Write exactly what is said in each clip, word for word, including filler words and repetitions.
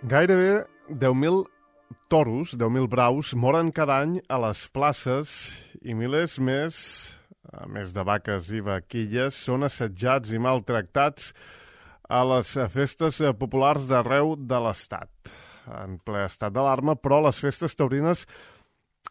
Gairebé deu mil toros, deu mil braus, moren cada any a les places i milers més, a més de vaques i vaquilles, són assetjats i maltractats a les festes populars d'arreu de l'Estat. En ple estat d'alarma, però les festes taurines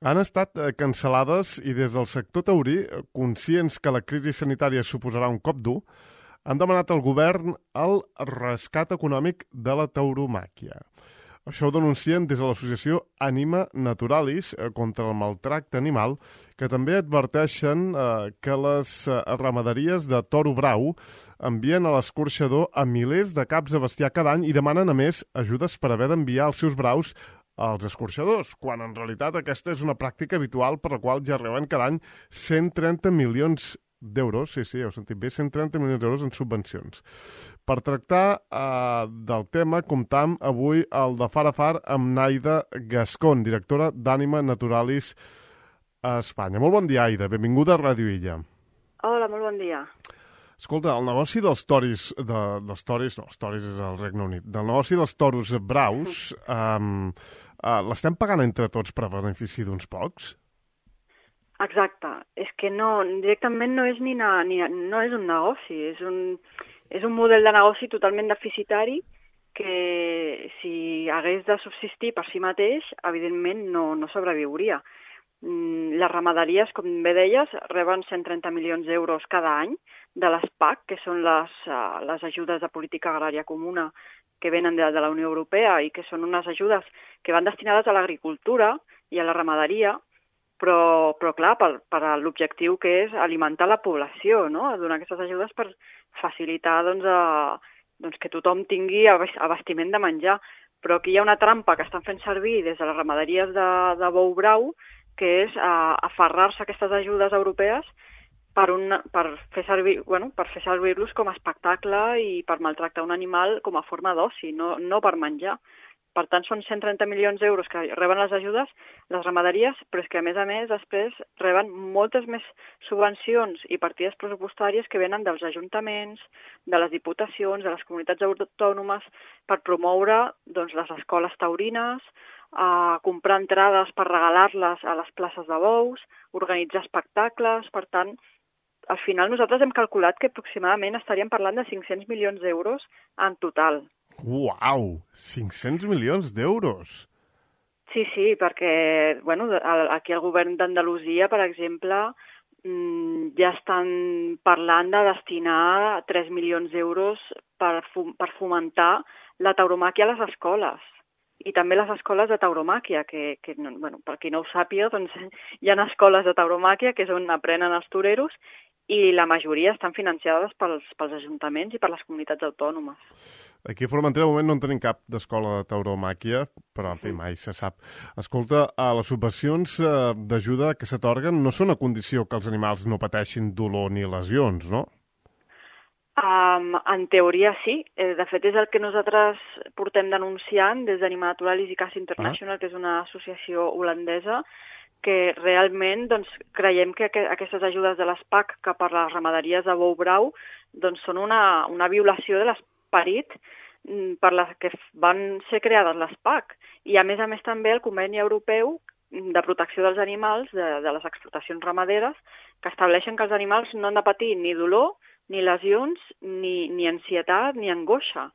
han estat cancel·lades i des del sector taurí, conscients que la crisi sanitària suposarà un cop dur, han demanat al govern el rescat econòmic de la tauromàquia. Això ho denuncien des de l'associació Anima Naturalis contra el maltracte animal, que també adverteixen eh, que les ramaderies de toro brau envien a l'escorxador a milers de caps de bestiar cada any i demanen, a més, ajudes per haver d'enviar els seus braus als escorxadors, quan en realitat aquesta és una pràctica habitual per la qual ja reben cada any cent trenta milions d'euros, sí, sí, heu sentit bé, cent trenta milions d'euros en subvencions. Per tractar eh, del tema, comptam avui el de Far a Far amb Naida Gascón, directora d'Anima Naturalis a Espanya. Molt bon dia, Aida. Benvinguda a Ràdio Illa. Hola, molt bon dia. Escolta, el negoci dels toris, de, dels toris, no, els toris és al Regne Unit, del negoci dels toros braus, eh, eh, l'estem pagant entre tots per a benefici d'uns pocs? Exacte. És que no, directament no és ni, na, ni no és un negoci, és un, és un model de negoci totalment deficitari que si hagués de subsistir per si mateix, evidentment no, no sobreviuria. Les ramaderies, com bé deies, reben cent trenta milions d'euros cada any de les P A C, que són les, les ajudes de política agrària comuna que venen de, de la Unió Europea i que són unes ajudes que van destinades a l'agricultura i a la ramaderia, però, però clar, per, per l'objectiu que és alimentar la població, no? Donar aquestes ajudes per facilitar doncs, a, doncs, que tothom tingui abastiment de menjar. Però aquí hi ha una trampa que estan fent servir des de les ramaderies de, de bou brau, que és a, aferrar-se a aquestes ajudes europees per, un, per fer servir, bueno, per fer servir-los com a espectacle i per maltractar un animal com a forma d'oci, no, no per menjar. Per tant, són cent trenta milions d'euros que reben les ajudes, les ramaderies, però és que, a més a més, després reben moltes més subvencions i partides pressupostàries que venen dels ajuntaments, de les diputacions, de les comunitats autònomes, per promoure doncs, les escoles taurines, a comprar entrades per regalar-les a les places de bous, organitzar espectacles. Per tant, al final nosaltres hem calculat que aproximadament estaríem parlant de cinc-cents milions d'euros en total. Uau! cinc-cents milions d'euros! Sí, sí, perquè bueno, aquí el govern d'Andalusia, per exemple, ja estan parlant de destinar tres milions d'euros per, per fomentar la tauromàquia a les escoles. I també les escoles de tauromàquia, que, que bueno, per qui no ho sàpiga, doncs, hi ha escoles de tauromàquia que és on aprenen els toreros i la majoria estan financiades pels, pels ajuntaments i per les comunitats autònomes. Aquí a Formentera, de moment, no en tenim cap d'escola de tauromàquia, però, en fi, mai se sap. Escolta, les subvencions d'ajuda que s'atorguen no són a condició que els animals no pateixin dolor ni lesions, no? Um, en teoria sí. De fet, és el que nosaltres portem denunciant des d'Anima Naturalis i Caça International, ah. que és una associació holandesa, que realment doncs, creiem que aquestes ajudes de les P A C cap a les ramaderies de bou brau doncs, són una, una violació de l'esperit per les que van ser creades les P A C. I a més a més també el Conveni Europeu de Protecció dels Animals de, de les explotacions ramaderes, que estableixen que els animals no han de patir ni dolor, ni lesions, ni, ni ansietat, ni angoixa.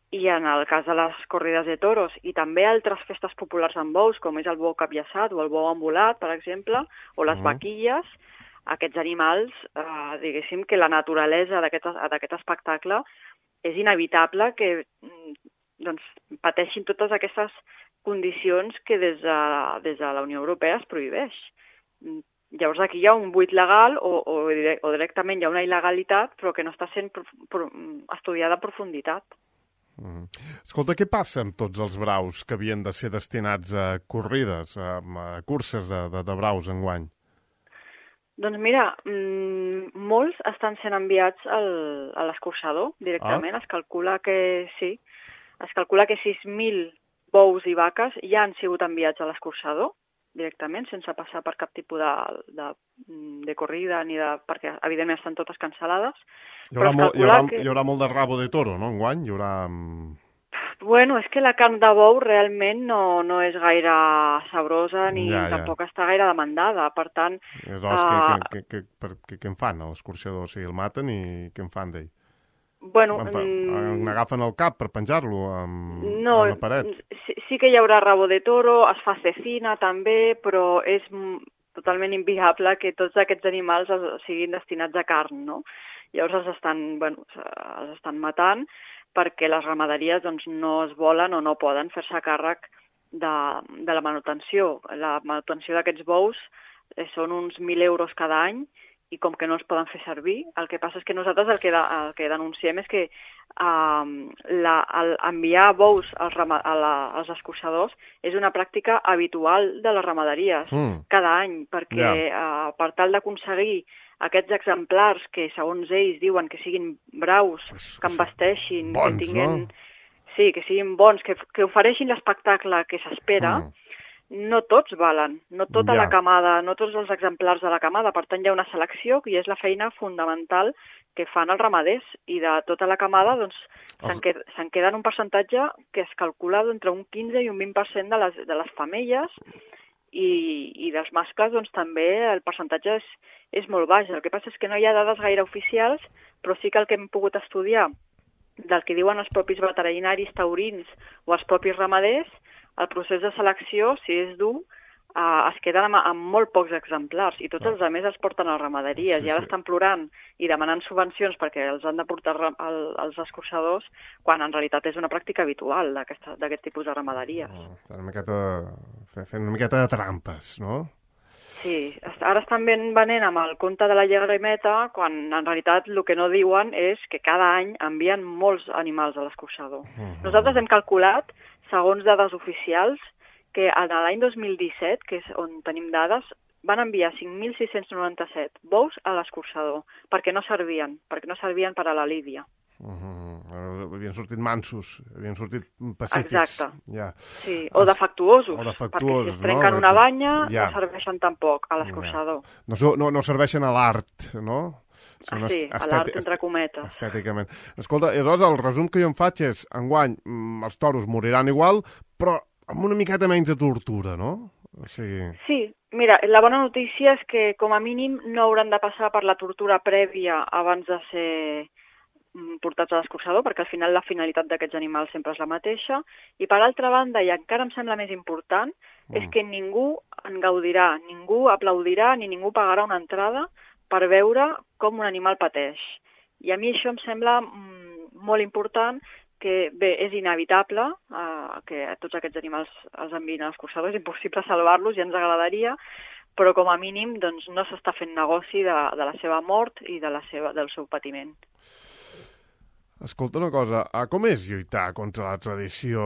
I en el cas de les corrides de toros i també altres festes populars amb bous, com és el bou capllaçat o el bou embolat, per exemple, o les uh-huh. vaquilles, aquests animals, eh, diguéssim que la naturalesa d'aquest espectacle és inevitable que doncs, pateixin totes aquestes condicions que des de, des de la Unió Europea es prohibeix. Llavors aquí hi ha un buit legal o, o, o directament hi ha una il·legalitat, però que no està sent pro, pro, estudiada a profunditat. Mm. Escolta, què passa amb tots els braus que havien de ser destinats a corrides, a, a curses de, de, de braus enguany? Doncs mira, mmm, molts estan sent enviats al, a l'escorxador directament. Ah. Es calcula que sí, es calcula que sis mil bous i vaques ja han sigut enviats a l'escorxador directament, sense passar per cap tipus de, de, de corrida, ni de, perquè evidentment estan totes cancel·lades. Hi haurà, molt, hi, haurà, que... hi haurà molt de rabo de toro, no, enguany? Hi haurà... Bueno, és que la carn de bou realment no, no és gaire sabrosa ni Ja, ja. tampoc està gaire demandada. Per tant... Aleshores, què, Uh, què, què, què, per- què, què en fan, l'escorxador? O sigui, el maten i què en fan d'ell? bueno, En fa- mm, N'agafen el cap per penjar-lo amb, no, a una paret? sí, sí que hi haurà rabo de toro, es fa cecina també, però és mm, totalment inviable que tots aquests animals es- siguin destinats a carn, no? Llavors els estan, bueno, els estan matant perquè les ramaderies doncs, no es volen o no poden fer-se càrrec de, de la manutenció. La manutenció d'aquests bous eh, són uns mil euros cada any i com que no els poden fer servir, el que passa és que nosaltres el que, de, el que denunciem és que um, la, el, enviar bous als, rama, a la, als escorxadors és una pràctica habitual de les ramaderies Mm. cada any, perquè Ja. uh, per tal d'aconseguir aquests exemplars que, segons ells, diuen que siguin braus, Pues, que embasteixin, bons, que tinguin... no? Sí, que siguin bons, que, que ofereixin l'espectacle que s'espera, Mm. no tots valen, no tota Ja. la camada, no tots els exemplars de la camada. Per tant, hi ha una selecció i és la feina fundamental que fan els ramaders. I de tota la camada, doncs, se'n Els- queda, se'n queda un percentatge que es calcula d'entre un quinze i un vint per cent de les, de les femelles i, i dels mascles, doncs, també el percentatge és, és molt baix. El que passa és que no hi ha dades gaire oficials, però sí que el que hem pogut estudiar del que diuen els propis veterinaris taurins o els propis ramaders, el procés de selecció, si és dur, eh, es queden amb, amb molt pocs exemplars i tots els altres els porten a ramaderies Sí, i ara sí. estan plorant i demanant subvencions perquè els han de portar ra- al- als escorxadors quan en realitat és una pràctica habitual d'aquesta- d'aquest tipus de ramaderies. Oh, estan una miqueta... fe- fent una miqueta de trampes, no? Sí, est- ara estan ben venent amb el conte de la llegrimeta quan en realitat el que no diuen és que cada any envien molts animals a l'escorxador. Mhm. Nosaltres hem calculat, segons dades oficials, que en l'any dos mil disset, que és on tenim dades, van enviar cinc mil sis-cents noranta-set bous a l'escorxador perquè no servien, perquè no servien per a la lídia. Mhm. Havien sortit mansos, havien sortit pacífics. Exacte. Ja. Sí, o defectuosos, O perquè defectuosos, si es trenquen no? una banya Ja. no serveixen tampoc a l'escorxador. No, so- no, no serveixen a l'art, no? Són Ah, sí, est- a estèti- l'art entre cometes. Estèticament. Escolta, i aleshores el resum que jo em faig és, enguany, mm, els toros moriran igual, però amb una miqueta menys de tortura, no? O sigui... Sí, mira, la bona notícia és que com a mínim no hauran de passar per la tortura prèvia abans de ser mm, portats a l'escorxador, perquè al final la finalitat d'aquests animals sempre és la mateixa. I per altra banda, i encara em sembla més important, mm. és que ningú en gaudirà, ningú aplaudirà ni ningú pagarà una entrada per veure com un animal pateix. I a mi això em sembla mm, molt important, que bé, és inevitable eh, que tots aquests animals els enviïn a l'escorxador, és impossible salvar-los, ja ens agradaria, però com a mínim doncs, no s'està fent negoci de, de la seva mort i de la seva, del seu patiment. Escolta una cosa, ah, com és lluitar contra la tradició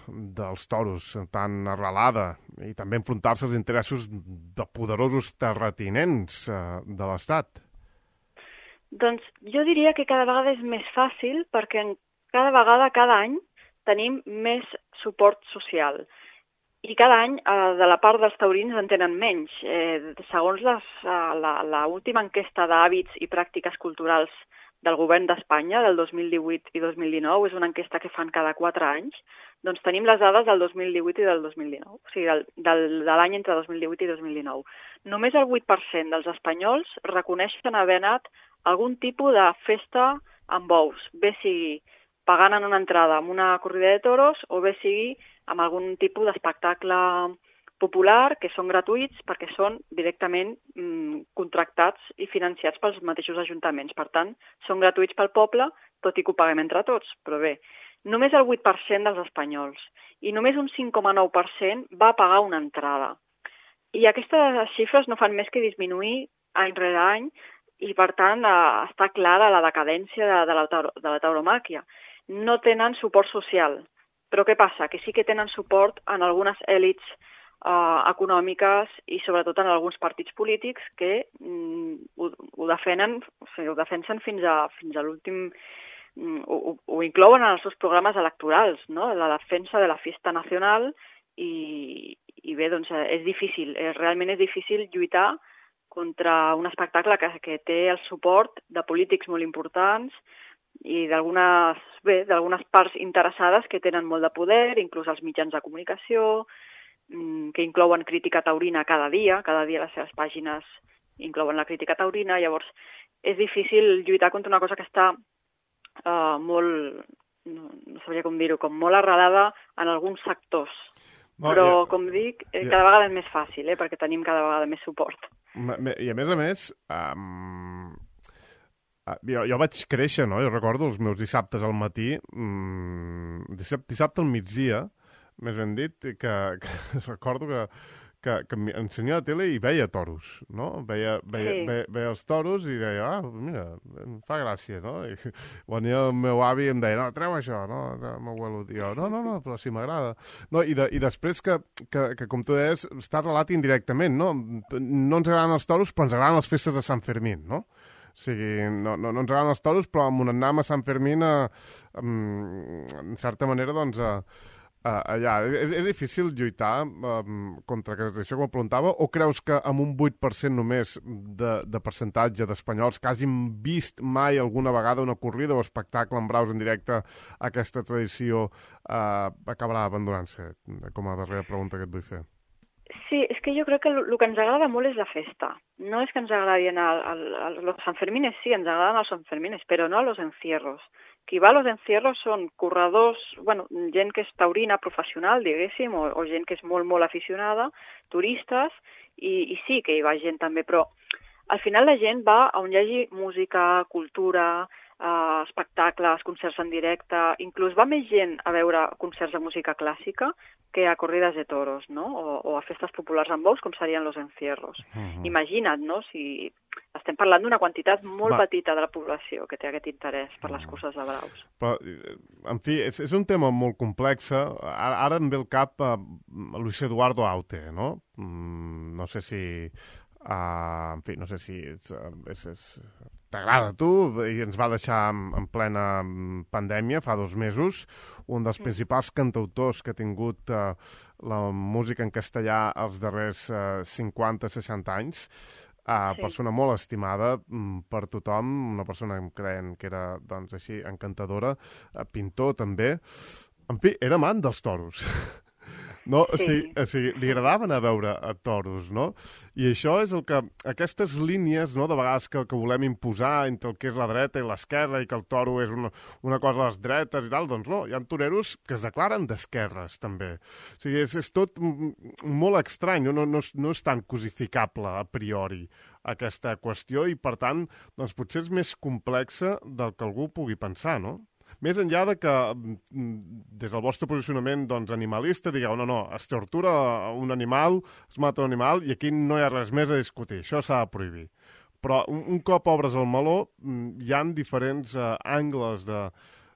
dels toros tan arrelada i també enfrontar-se als interessos de poderosos terratinents eh, de l'Estat? Doncs jo diria que cada vegada és més fàcil perquè en cada vegada, cada any, tenim més suport social. I cada any, eh, de la part dels taurins, en tenen menys. Eh, segons les, eh, la, la última enquesta d'hàbits i pràctiques culturals del govern d'Espanya, del dos mil divuit i dos mil dinou, és una enquesta que fan cada quatre anys, doncs tenim les dades del dos mil divuit i del dos mil dinou, o sigui, del, del, de l'any entre dos mil divuit i dos mil dinou. Només el vuit per cent dels espanyols reconeixen haver anat a algun tipus de festa amb bous, bé sigui pagant en una entrada amb una corrida de toros o bé sigui amb algun tipus d'espectacle popular, que són gratuïts perquè són directament mm, contractats i financiats pels mateixos ajuntaments. Per tant, són gratuïts pel poble, tot i que ho paguem entre tots. Però bé, només el vuit per cent dels espanyols i només un cinc coma nou per cent va pagar una entrada. I aquestes xifres no fan més que disminuir any rere any i, per tant, eh, està clara la decadència de, de, la, tauro, de la tauromàquia. No tenen suport social. Però què passa? Que sí que tenen suport en algunes èlits eh, econòmiques i sobretot en alguns partits polítics que mm, ho, ho, defenen, o sigui, ho defensen fins a, fins a l'últim... Mm, ho, ho inclouen en els seus programes electorals, no? La defensa de la fiesta nacional i, i bé, doncs és difícil, és, realment és difícil lluitar contra un espectacle que, que té el suport de polítics molt importants, i d'algunes, bé, d'algunes parts interessades que tenen molt de poder, inclús els mitjans de comunicació, que inclouen crítica taurina cada dia, cada dia les seves pàgines inclouen la crítica taurina, llavors és difícil lluitar contra una cosa que està uh, molt, no, no sabria com dir-ho, com molt arrelada en alguns sectors. No, Però, ja, com dic, ja. cada vegada és més fàcil, eh, perquè tenim cada vegada més suport. I a més a més, um, jo, jo vaig créixer, no? Jo recordo els meus dissabtes al matí, um, dissabte, dissabte al migdia, més ben dit, que, que recordo que, que, que ensenyava a la tele i veia toros, no? Veia, veia, sí. veia, veia els toros i deia, ah, mira, em fa gràcia, no? I venia el meu avi i em deia, no, treu això, no? El meu abuelo, jo, no, no, no, però sí m'agrada. No, i, de, I després que, que, que, com tu deies, està relat indirectament, no? No ens agraden els toros, però ens agraden les festes de Sant Fermín, no? O sigui, no, no, no ens agraden els toros, però amb un anam a Sant Fermín, a, a, en certa manera, doncs, a, Uh, allà. És, és difícil lluitar um, contra això, com preguntava, o creus que amb un vuit per cent només de, de percentatge d'espanyols que hagin vist mai alguna vegada una corrida o espectacle en braus en directe, aquesta tradició uh, acabarà abandonant-se? Com a darrera pregunta que et vull fer. Sí, és que jo crec que el que ens agrada molt és la festa. No és que ens agradin el, el, el, los Sanfermines, sí, ens agraden els Sanfermines, però no los encierros. Qui va a los encierros són corredors, bueno, gent que és taurina professional, diguéssim, o, o gent que és molt, molt aficionada, turistes, i, i sí que hi va gent també, però al final la gent va on hi hagi música, cultura, eh, espectacles, concerts en directe, inclús va més gent a veure concerts de música clàssica que a corrides de toros, no? O, o a festes populars amb bous, com serien los encierros. Uh-huh. Imagina't, no?, si estem parlant d'una quantitat molt Va. petita de la població que té aquest interès per les curses de braus. Però, en fi, és, és un tema molt complex. Ara, ara em ve al cap uh, Luis Eduardo Aute, no? Mm, no sé si... Uh, en fi, no sé si és, és, és, t'agrada a tu, i ens va deixar en, en plena pandèmia, fa dos mesos, un dels principals cantautors que ha tingut uh, la música en castellà els darrers uh, cinquanta seixanta anys, uh, sí. persona molt estimada um, per tothom, una persona que creien que era, doncs, així, encantadora, uh, pintor també. En fi, era amant dels toros. No, sí. o, sigui, o sigui, li agradava anar a veure a toros, no? I això és el que... Aquestes línies, no?, de vegades que, que volem imposar entre el que és la dreta i l'esquerra i que el toro és una, una cosa a les dretes i tal, doncs no, hi ha toreros que es declaren d'esquerres, també. O sigui, és, és tot molt estrany, no, no, és, no és tan cosificable a priori aquesta qüestió i, per tant, doncs potser és més complexa del que algú pugui pensar, no? Més enllà de que, des del vostre posicionament doncs, animalista, digueu, no, no, es tortura un animal, es mata un animal, i aquí no hi ha res més a discutir, això s'ha de prohibir. Però un, un cop obres el meló, hi han diferents uh, angles de,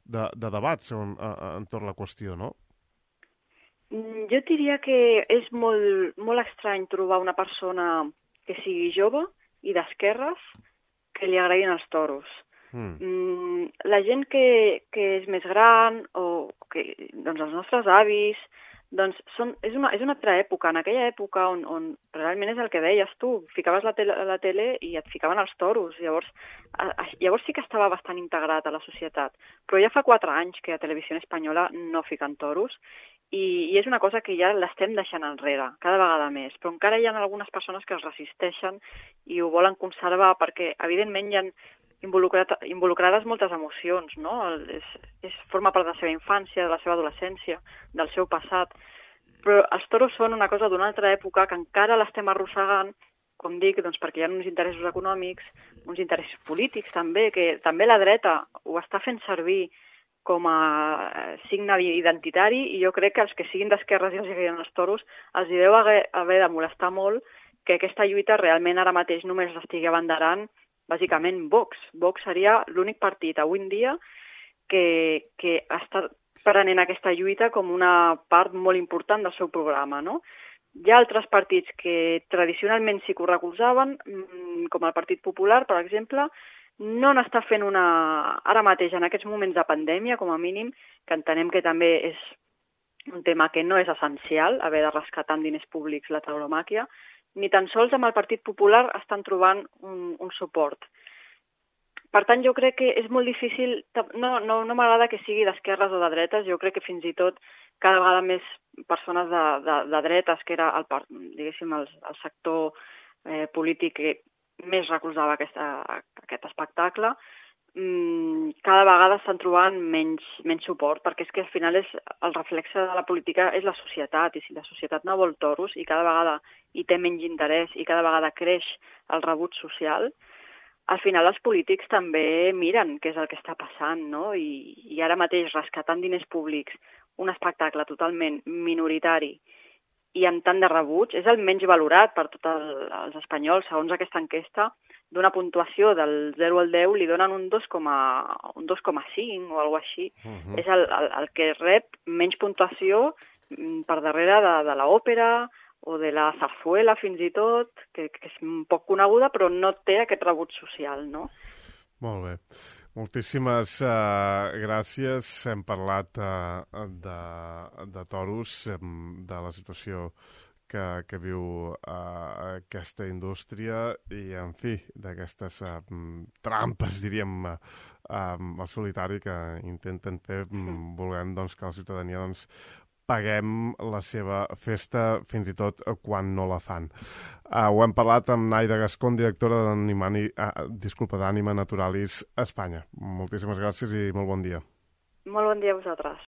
de, de debat segons, uh, entorn la qüestió, no? Jo diria que és molt, molt estrany trobar una persona que sigui jove i d'esquerres que li agradin els toros. Mm. La gent que, que és més gran o que, doncs els nostres avis, doncs són, és, una, és una altra època. En aquella època on, on realment és el que deies tu, ficaves la tele, la tele i et ficaven els toros. Llavors, a, a, llavors sí que estava bastant integrat a la societat. Però ja fa quatre anys que a Televisió Espanyola no fiquen toros i, i és una cosa que ja l'estem deixant enrere, cada vegada més. Però encara hi ha algunes persones que es resisteixen i ho volen conservar perquè, evidentment, hi ha Involucrat, involucrades moltes emocions, no? És, és, forma part de la seva infància, de la seva adolescència, del seu passat. Però els toros són una cosa d'una altra època que encara l'estem arrossegant, com dic, doncs perquè hi ha uns interessos econòmics, uns interessos polítics també, que també la dreta ho està fent servir com a signe identitari, i jo crec que els que siguin d'esquerres i els agradin els toros els hi deu haver, haver de molestar molt que aquesta lluita realment ara mateix només l'estigui abanderant bàsicament Vox. Vox seria l'únic partit avui en dia que, que està prenent aquesta lluita com una part molt important del seu programa, no? Hi ha altres partits que tradicionalment sí que ho recolzaven, com el Partit Popular, per exemple, no n'està fent una... Ara mateix, en aquests moments de pandèmia, com a mínim, que entenem que també és un tema que no és essencial, haver de rescatar amb diners públics la tauromàquia, ni tan sols amb el Partit Popular estan trobant un, un suport. per tant, jo crec que és molt difícil, no, no, no m'agrada que sigui d'esquerres o de dretes, jo crec que fins i tot cada vegada més persones de, de, de dretes, que era el, diguéssim, el, el sector eh, polític que més recolzava aquesta, aquest espectacle, mmm, cada vegada estan trobant menys, menys suport, perquè és que al final és, el reflexe de la política és la societat, i si la societat no vol toros i cada vegada hi té menys interès i cada vegada creix el rebuig social, al final els polítics també miren què és el que està passant, no? I, i ara mateix rescatant diners públics, un espectacle totalment minoritari i amb tant de rebuig, és el menys valorat per tots el, els espanyols, segons aquesta enquesta, d'una puntuació del zero al deu li donen un dos coma cinc o alguna cosa així. Uh -huh. És el, el, el que rep menys puntuació per darrere de, de l'òpera o de la zarzuela fins i tot, que, que és poc coneguda però no té aquest rebuig social, no? Molt bé. Moltíssimes uh, gràcies. Hem parlat uh, de, de toros, de la situació que, que viu uh, aquesta indústria i, en fi, d'aquestes uh, trampes, diríem, uh, um, al solitari que intenten fer, um, volem doncs, que la ciutadania doncs, paguem la seva festa fins i tot quan no la fan. Uh, ho hem parlat amb Naida Gascón, directora d'Anima uh, disculpa, d'Anima Naturalis Espanya. Moltíssimes gràcies i molt bon dia. Molt bon dia a vosaltres.